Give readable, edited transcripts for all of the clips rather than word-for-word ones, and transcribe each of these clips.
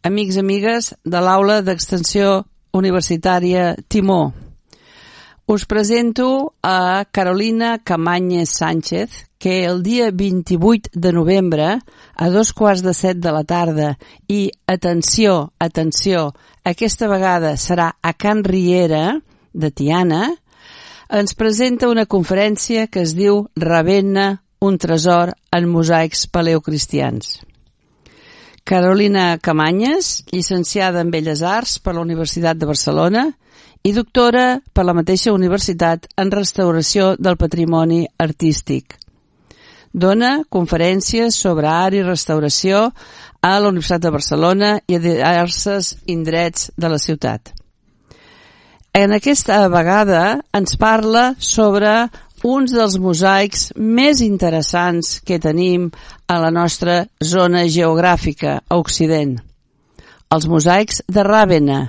amics i amigues de l'aula d'extensió universitària Timó. Us presento a Carolina Camàñez Sánchez, que el dia 28 de novembre, a 6:15 de la tarda, i atenció, aquesta vegada serà a Can Riera, de Tiana, ens presenta una conferència que es diu Ravenna, un tresor en mosaics paleocristians. Carolina Camàñez, llicenciada en Belles Arts per la Universitat de Barcelona i doctora per la mateixa universitat en restauració del patrimoni artístic. Dona conferències sobre art i restauració a la Universitat de Barcelona i a diversos indrets de la ciutat. En aquesta vegada ens parla sobre uns dels mosaics més interessants que tenim a la nostra zona geogràfica, a Occident. Els mosaics de Ravenna.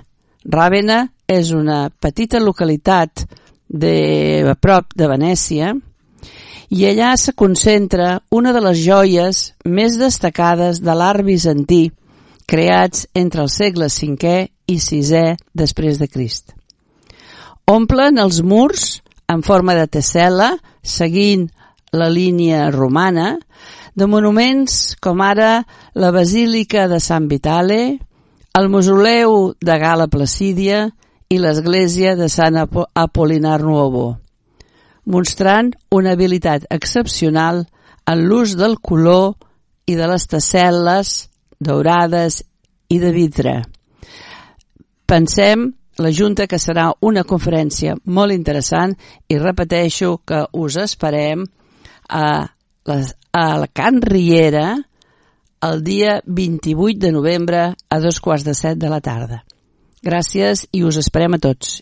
Ravenna és una petita localitat a prop de Venècia i allà se concentra una de les joies més destacades de l'art bizantí, creats entre els segles V i VI després de Crist. Omplen els murs en forma de tessel·la, seguint la línia romana, de monuments com ara la Basílica de Sant Vitale, el Mausoleu de Gala Placídia i l'església de Sant Apol·linar Nuovo, mostrant una habilitat excepcional en l'ús del color i de les tessel·les daurades i de vidre. Pensem la Junta que serà una conferència molt interessant i repeteixo que us esperem a la Can Riera el dia 28 de novembre a 6:15 de la tarda. Gràcies i us esperem a tots.